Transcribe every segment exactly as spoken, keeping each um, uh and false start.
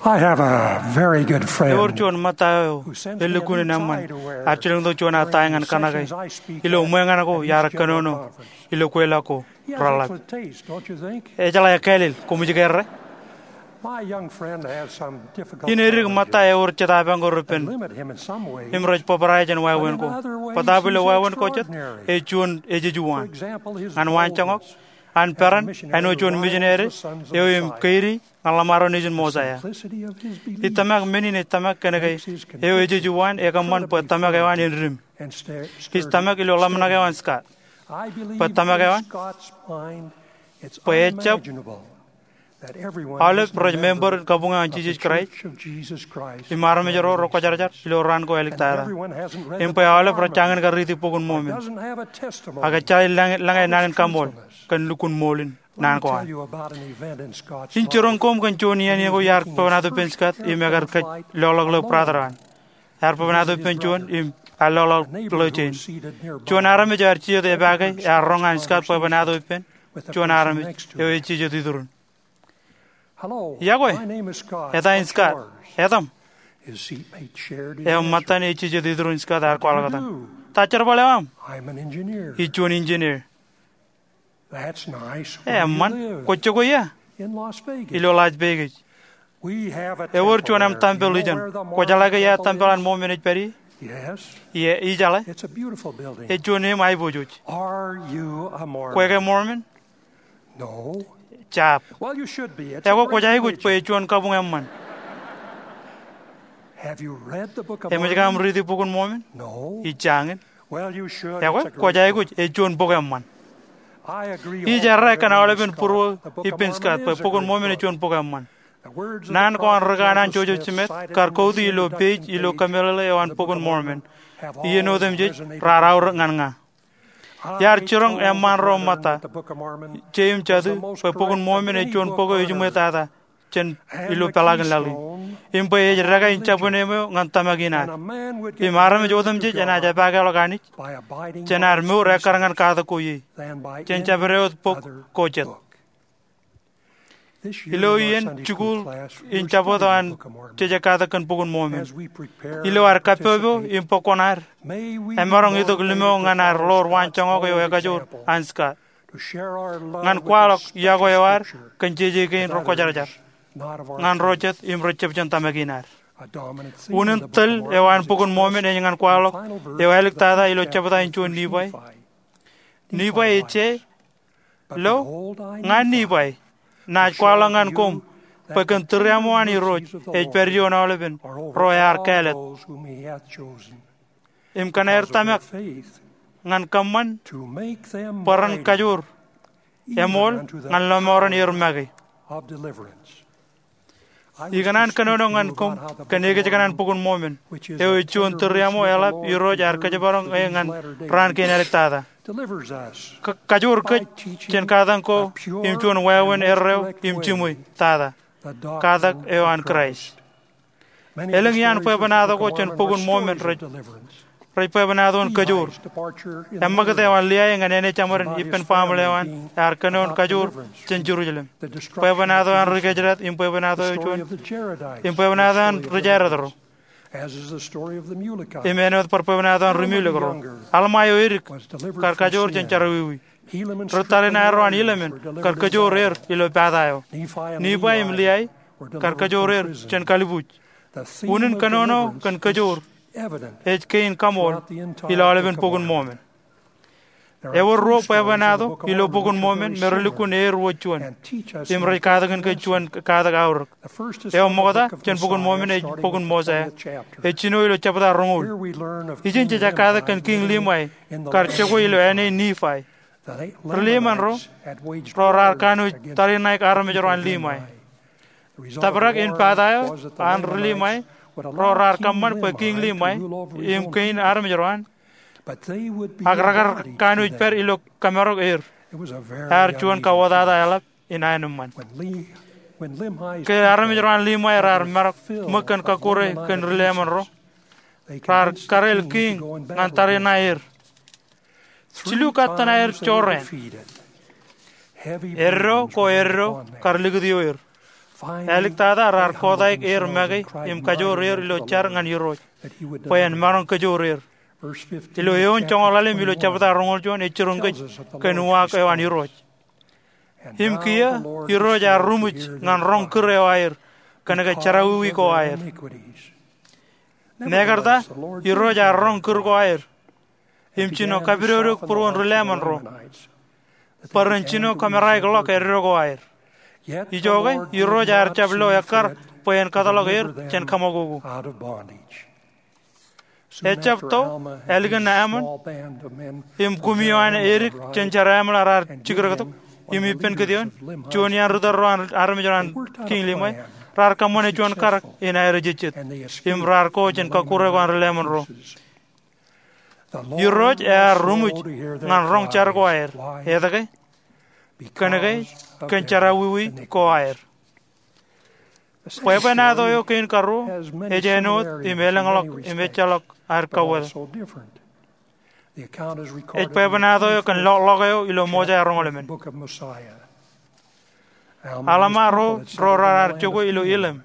I have a very good friend. Ewōr juon ṃōtta eo elukkuun in eṃṃan ear jilkintok juon aō ta ñan kōṇake ilo ṃweo ñan ko iar kōnono ilo kweilọk ko reḷḷap. Ejeḷā ekkāālel, koṃij ke errā? My young friend has some difficulty. In edik ṃōtta eo ewōr jetapañ ko repen im rej bōbrae jān wāween ko. Bōtaab ilo wāween ko jet ej juon ejejwaan. Ñan waanjoñak, an peran āinwōt juon misineri eo im keidi ñan ḷōṃaro nejin Mosiah. Ij tōmak men in ej tōmak kōn ke eo ejejwaan ekōṃṃan bwe tōmak eo an en dim. Ij tōmak ilo ḷōmṇak eo an Scott bwe tōmak eo an bwe ejjab aolep rej member in kabuñ eo an Jisōs Kraist im armej ro rekwōjarjar ilo raan ko āliktata, im bwe aolep rej jañin kar riiti Bok in Mormon. Ak ejjeḷā ij lōñe naan in kaṃool kōn lukkuun ṃool in naan ko an. In jiroñ koṃ kōn juon iien ko iar bwebwenato ippān Scott im ekar kōj loḷọk ilo brother eo an. Ear bwebwenato ippān juon im ear loḷọk ilo jein. Juon armej eo ear jijet epaake ear roñ an Scott bwebwenato ippān juon armej eo ej jijet iturin. Iọkwe, eta in Scott. Etaṃ? Eo ṃōttan ej jijet iturin Scott ear kwaḷọk etan, ta jerbal eo aṃ? Ij juon engineer. Eṃṃan. Kwōj jokwe ia? Ilo Las Vegas. Ewōr juon aṃ tempel ijeṇ. Kwōjeḷā ke ia tempel an Mormon ej pād ie? Ie, ijeḷā. Ej juon eṃ aiboojoj. Kwe ke Mormon? Jab. Ekwe kwōj aikuj bwe ej juon kabuñ eṃṃan. Eṃōj ke aṃ riiti Bok in Mormon? Ij jañin. Ekwe kwōj aikuj, ej juon bok eṃṃan. Ij errā kōn aolepen būruō ippān Scott bwe Bok in Mormon ej juon bok eṃṃan. Naan ko an ri kanaan Joseph Smith kar kouti ilo page ilo kōmeḷeḷe eo an Bok in Mormon. Iien otemjej raar aorōk ñan ña. Iar jiroñ eṃṃaan ro ṃōtta, je im jatū, bwe Bok in Mormon ej juon bok eo ejiṃwe tata jān ilo peḷaakin laḷ in, im bwe ej dekā in jabdewōt eo ñan tōmak in ad. Im armej otemjej enaaj epakeḷọk Anij jān ad mour ekkar ñan katak ko ie jān jabdewōt bok ko jet. Ilo iien jikuuḷ in Jabōt eo an Jejekatak kōn Bok in Mormon, ilo ad kappọpọ im bōk kuṇaad, emaroñ itok limo ñan ad ḷoor waanjoñak eo ekajoor an Scott ñan kwaḷọk iọkwe eo ad kōn jeje kein rekwōjarjar, ñan ro jet im rej jab jān tōmak in ad. Unin tōl eo an Bok in Mormon ej ñan kwaḷọk eo āliktata ilo jebta in juon Nifai. Nifai ej say, Lo, ña Nifai, naaj kwaḷọk ñan koṃ bwe kōn tūriaṃo an Irooj ej pād ioon aolepen ro ear kāālōt, im kōn aer tōmak ñan kōṃṃan bwe ren kajoor eṃool ñan lọmọọren er make. Ikōṇaan kōnono ñan koṃ kōn ekōjkan an Bok in Mormon, eo ej juon tūriaṃo eḷap Irooj ear kōjparoñ e ñan raan kein āliktata. Kajoor kōj jān katakin ko im juon wāween erreo im jiṃwe tata, katak eo an Kraist. Elōñ iaan bwebwenato ko jān Bok in Mormon rej bwebwenato in kajoor. Eṃṃakūt eo an Liai ñan āne jeṃaden ippān family eo an ear kōnono in kajoor jān Jerusalem. Bwebwenato an ri Kōjdat im bwebwenato eo juon, im bwebwenato an ri Jared ro, im āinwōt bar bwebwenato an ri Mulek ro. Alma eo edik kar kajoor jān jerọwiwi. Ri tariṇae ro an Helaman kar kajoor er ilo pata eo. Nifai im Liai kar kajoor er jān kalibuuj. Unin kōnono kōn kajoor ej kein kaṃool ilo aolepen Bok in Mormon. Ewōr ruo bwebwenato ilo Bok in Mormon me relukkuun er wōt juon im rej katakin kōj juon katak aorōk. Eo ṃokta jān Bok in Mormon ej bok in Mosiah. Ej jino ilo jebta roñoul. Ijin jej katakin kōn Kiiñ Limai kar jokwe ilo āne Nifai. Ri-Leman ro, ro raar kanooj tariṇaik armej ro an Limai. Tōprak in pata eo an ri-Limai, ro raar kōṃṃan bwe Kiiñ Limai im kein armej ro an, ak rekar kanooj pād ilo kōmārok er. Ear juon kawōtata eḷap in aenōṃṃan. Ke armej ro an Limai raar marok ṃōk kōn kọkkure kōn ri-Leman ro, raar kareel kiiñ ñan tariṇae er. Jilu kattōn aer jorrāān. Eddo ko eddo kar likūt ioer. Āliktata raar kotaik er make im kajoor er ilo jar ñan Irooj bwe en maroñ kajoor er. Ilo eoon joñoul ḷalem ilo jebta roñoul juon ej jiroñ kōj kōn uwaak eo an Irooj. Im kiiō Irooj ear ruṃwij ñan roñ kūr eo aer kōnke jerọwiwi ko aer. Mekarta Irooj ear roñ kūr ko aer im jino kapidodoik būruon ri-Laman ro bwe ren jino kameraikḷọk eddo ko aer. Ijoke Irooj ear jab lo ekkar bwe en kōtḷọk er jān kaṃakoko. Ejjab to ālikin Alma im kumi eo an edik jān Jerameḷa raar jikdektok im ippān kōtioon, juon iaan ri-tōl ro an armej ro an Kiiñ Limae, raar kōṃṃane juon karōk in aer ejejjet im raar ko jān kọkkure ko an ri-Laman ro. Irooj ear ruṃwij ñan roñ jar ko aer. Etke? Kōnke kōn jerọwiwi ko aer. Bwebwenato eo kein karuo ej āinwōt im elōñḷọk im ejjeḷọk ad kauwōt. Ej bwebwenato eo kōn ḷọkḷọk eo ilo Mosea roñoul emān. Alma ro, ro raar jokwe ilo Elim.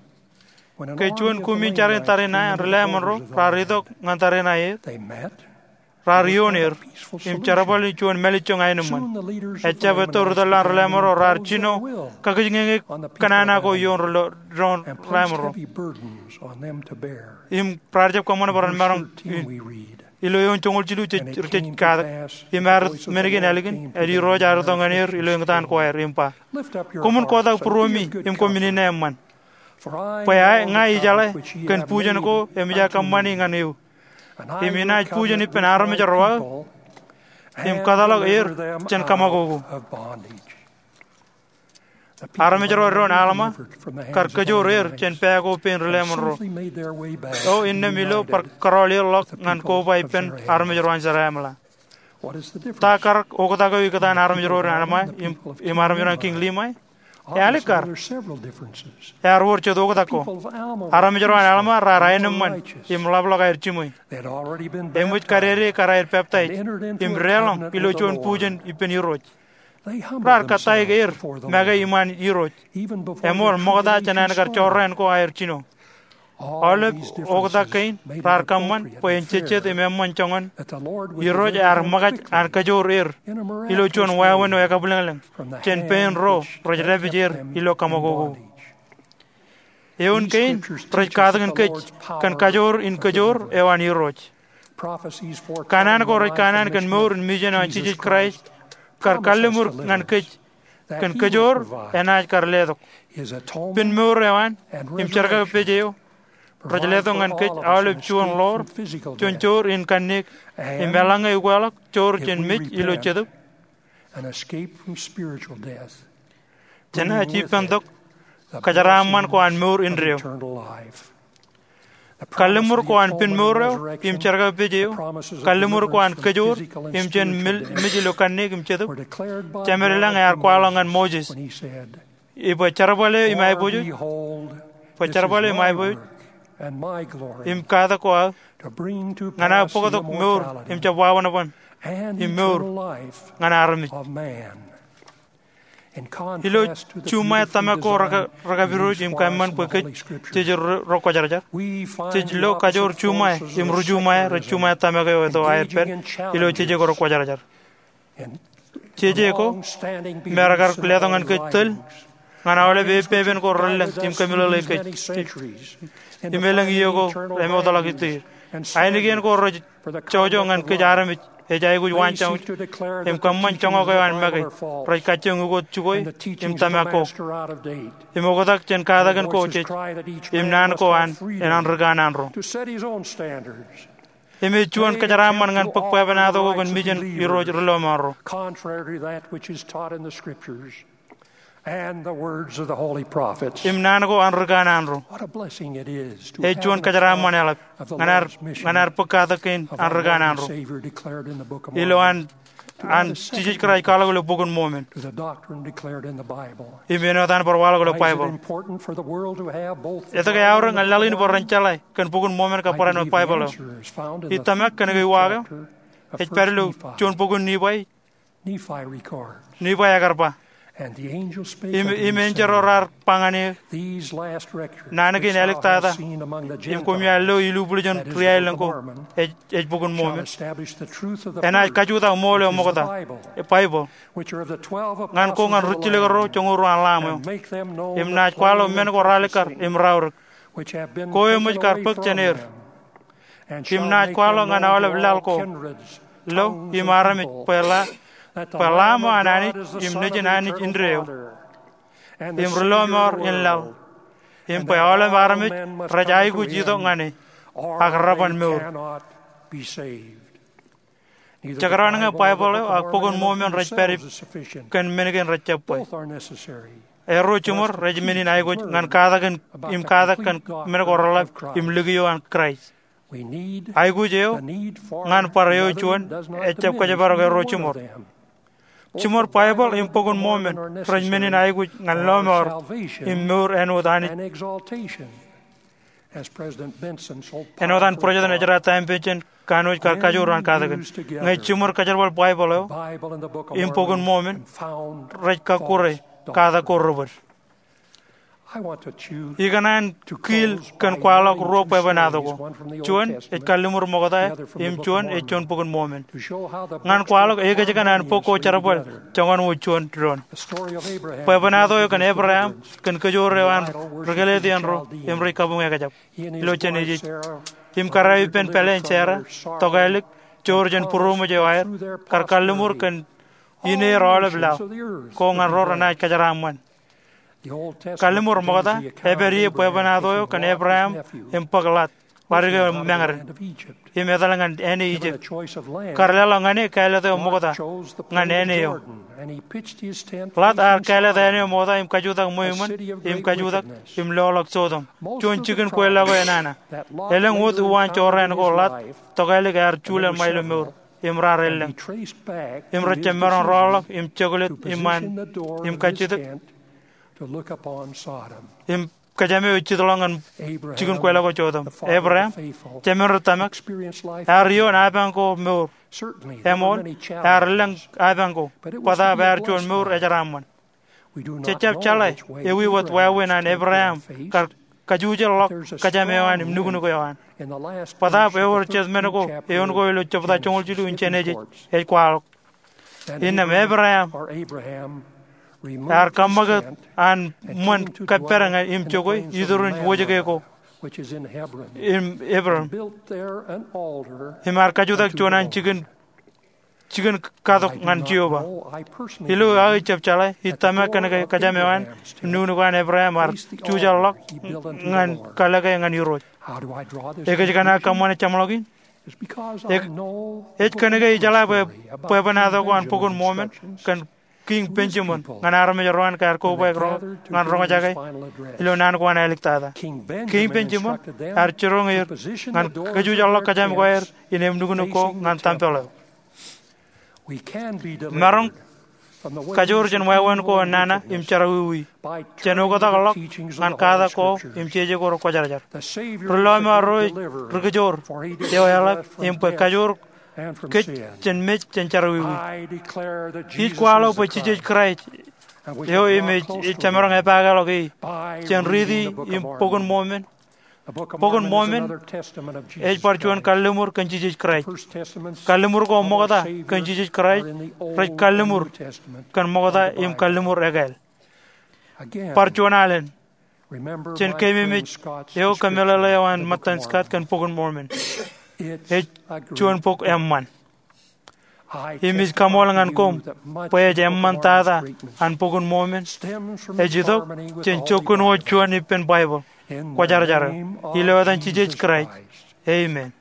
Ke juon kumi jar in tariṇae an ri-Laman ro raar itok ñan tariṇae er, raar ioon er im jerbal in juon mālejjoñ aenōṃṃan. Ejjab etto ri-tōl eo an ri-Laman ro raar jino kakijñeñe kōnana ko ioon ri-Laman ro im raar jab kōṃṃane bwe ren maroñ in. Ilo eoon joñoul jilu rej, rej katak, im ear men kein ālikin, ālikin Irooj ear itok ñan er ilo eñtaan ko aer im ba, koṃwin kotak būruemi im koṃwin ine eṃṃan. Bwe ña ijeḷā kōn bujen ko emōj aō kōṃṃani ñan eō, im inaaj bujen ippān armej ro aō im kōtḷọk er jān kaṃakoko. Armej ro eddoin Alma kar kajoor er jān pā ko pein ri-Laman ro. O innām ilo bar kōrọọl er ḷọk ñan koba ippān armej ro an Jerameḷa. Ta karōk oktak eo ikōtaan armej ro an Alma im, im armej ro an Kiiñ Limae? Ālikkar. Ear wōr jet oktak ko. Armej ro an Alma raar aenōṃṃan im ḷapḷọk aer jiṃwe. Eṃōj kadede kar aer peptaij im deḷọñ ilo juon bujen ippān Irooj. Raar kōttāik er make iṃaan Irooj. Eṃool ṃokta jān an kar jorrāān ko aer jino. Aolep oktak kein raar kōṃṃan bwe en jejjet im eṃṃan joñan Irooj ear ṃōkaj an kajoor er ilo juon wāween eo ekabwilōñlōñ jān pein ro rej dāpij er ilo kaṃakoko. Eoon kein rej katakin kōj kōn kajoor in kajoor eo an Irooj. Kanaan ko rej kanaan kōn mour in mijen eo an Jisōs Kraist kar kalliṃur ñan kōj kōn kajoor enaaj kar letok. Pen mour eo an im jerkakpeje eo rej letok ñan kōj aolep juon ḷoor, juon joor in kanniōk, im eḷaññe ukweḷọk joor jān mej ilo jetōb, jenaaj ippān tok kōjeraaṃṃan ko an mour indeeo. Kalliṃur ko an pen mour eo im jerkakpeje eo, kalliṃur ko an kajoor im jān mil-, mej ilo kanniōk im jetōb, Jemedlañ ear kwaḷọk ñan Moses, ibwe jerbal eo im aiboojoj, bwe jerbal eo im aiboojoj im katak ko aō, ñan aō bōktok mour im jab wawanban im mour ñan armej. Ilo juṃae tōmak ko reka-, rekapidooj im kōṃṃan bwe kōj jej ro, ro kwōjarjar, jej lo kajoor juṃae im ri juṃae rej juṃae tōmak eo eto aer pād ilo jeje ko ro kwōjarjar. Jeje ko me rekar letok ñan kōj tōl ñan aolep epepen ko relōñ im kōmeḷeḷe kōj im elōñ iiō ko emootḷọk ituur. Ainikien ko rej jojo ñan kōj armej ej aikuj waanjoñōj im kōṃṃan joñak eo an make rej kajjioñ ukot jukwe im tōmak ko im oktak jān katakin ko jej im naan ko an en ri kanaan ro. Im ej juon kōjeraaṃṃan ñan bōk bwebwenato ko kōn mijen Irooj ri-lọmọọr ro. Im naan ko an ri kanaan ro. Ej juon kōjeraaṃṃan eḷap ñan ad, ñan ad bōk katak kein an ri kanaan ro. Ilo an, an Jisōs Kraist kwaḷọk ilo Bok in Mormon im āinwōt an bar waḷọk ilo Baibōḷ. Etke eaorōk ñan laḷ in bwe ren jeḷā kōn Bok in Mormon kab barāinwōt Baibōḷ eo? Ij tōmak kōnke uwaak eo ej pād ilo juon bok in Nifai. Nifai ekar ba, Im, im enjeḷ ro raar ba ñan eō, naan kein āliktata im koṃeañ lo ilubwiljin ri-aelōñ ko ej, ej Bok in Mormon, enaaj kajutak ṃool eo ṃokta, Baibōḷ, ñan ko ñan rijjilōk ro joñoul ruo an Lamb eo, im naaj kwaḷọk men ko raalikkar im raorōk, ko eṃōj kar bōk jān er, im naaj kwaḷọk ñan aolep laḷ ko, lo im armej, bwe la, bwe Lamb eo an Anij im Nejin Anij indeeo, im ri-lọmọọr in laḷ, im bwe aolep armej rej aikuj itok ñan e, ak reban mour. Jekdọọn ñe Baibōḷ eo ak Bok in Mormon rej pād ippa kōn men kein rejjab bwe. Erro jiṃor rej men in aikuj ñan katak in, im katak kōn men ko reḷap im likio an Kraist. Aikuj eo ñan bar eo juon ejjab kōjparok erro jiṃor. Jiṃor Baibōḷ im Bok in Mormon rej men in aikuj ñan lọmọọr im mour āinwōt Anij. Āinwōt an President Benson so powerfully taught, āinwōt an President Ezra Taft Benson kanooj kar kajoor an katakin, ñe jiṃor kōjerbal Baibōḷ eo im Bok in Mormon, rej kakkure katak ko rebōd. Ikōṇaan kiil kōn kwaḷọk ruo bwebwenato ko. Juon ej kalliṃur ṃokta, im juon ej juon Bok in Mormon, ñan kwaḷọk ekōjkan an bok ko jerbal joñan wōt juon doon. Bwebwenato eo kōn Ebream kōn kōjoor eo an ri-kōleet iien ro im ri-kabuñ ekjab ilo Jenesis, im kōrā ippān pāleen Sera, tokālik, joor jān būroṃōj eo aer, kar kalliṃur kōn ineer aolep laḷ ko ñan ro renaaj kōjeraaṃṃan. Kalliṃur ṃokta epād ie bwebwenato eo kōn Ebream im bōk Lot, ḷadik eo mañōrin, im etal ñan āne Ijipt. Kar leḷọk ñan e kāālōt eo ṃokta ñan āne eo. Lot ear kāālōt āne eo ṃokta im kajutak ṃweo iṃōn, im kajutak im loḷọk Sotom, juon jikin kweilọk eo enana. Elōñ wōt uwaan jorrāān ko Lot tokālik ear juḷ ḷọk ilo mour, im raar elōñ, im rej jab maroñ rọọlḷọk im joklet iṃaan im kajjitōk im kōjām eo ej jitḷọk ñan jikin kweilọk ko Sotom. Ebream, jemān ri tōmak, ear ioon apañ ko mour. Eṃool, ear elōñ apañ ko, bōtaab ear juon mour ejeraaṃṃan. Jej jab jeḷā ewi wōt wāween an Ebream kar kajjitōk ḷọk kōjām eo an im nuknuk eo an. Bōtaab ewōr jet men ko eoon ko ilo jebta joñoul jilu in Jenesis ej kwaḷọk. Innām Ebream ear kaṃṃakūt an ṃōn kōppād ñan im jokwe iturin wōjke ko im Hebron, im ear kajutak juon an jikin, jikin katok ñan Jeova. Ilo aō ijjab jeḷā, ij tōmak kōn ke kōjām eo an im nuknuk eo an Ebream ear jujaḷ ḷọk ñan kalōke ñan Irooj. Ekōjkan aō kōṃṃane jeṃḷọkin? Ej, ej kōn ke ijeḷā bwe bwebwenato ko an Bok in Mormon kōn Kiiñ Benjamin ñan armej ro an ke ear kobaik ro ñan roñjake ilo naan ko an āliktata. Kiiñ Benjamin ear jiroñ er ñan kajujaḷḷọk kōjām ko aer im nuknuk ko ñan tempel eo. Maroñ kajoor jān wāween ko nana im jerọwiwi jān oktak ḷọk ñan katak ko im jeje ko rekwōjarjar. Ri-lọmọọr ro ej ri-kōjoor eo eḷap im bwe kajoor kōj jān mej jān jerọwiwi. Ij kwaḷọk bwe Jisōs Kraist eo im ej, ej jemaroñ epaake ḷọk e jān riiti im Bok in Mormon. Bok in Mormon ej bar juon kalliṃur kōn Jisōs Kraist. Kalliṃur ko ṃokta kōn Jisōs Kraist rej kalliṃur kōn ṃokta im kalliṃur ekāāl. Bar juon alen, jen keememej eo kōmeḷeḷe eo an ṃōttan Scott kōn Bok in Mormon. Ej juon bok eṃṃan. Im ij kaṃool ñan koṃ bwe ej eṃṃantata an Bok in Mormon ej itok jān jokkun wōt juon ippān Baibōḷ kwōjarjar eo, ilo etan Jisōs Kraist, amen.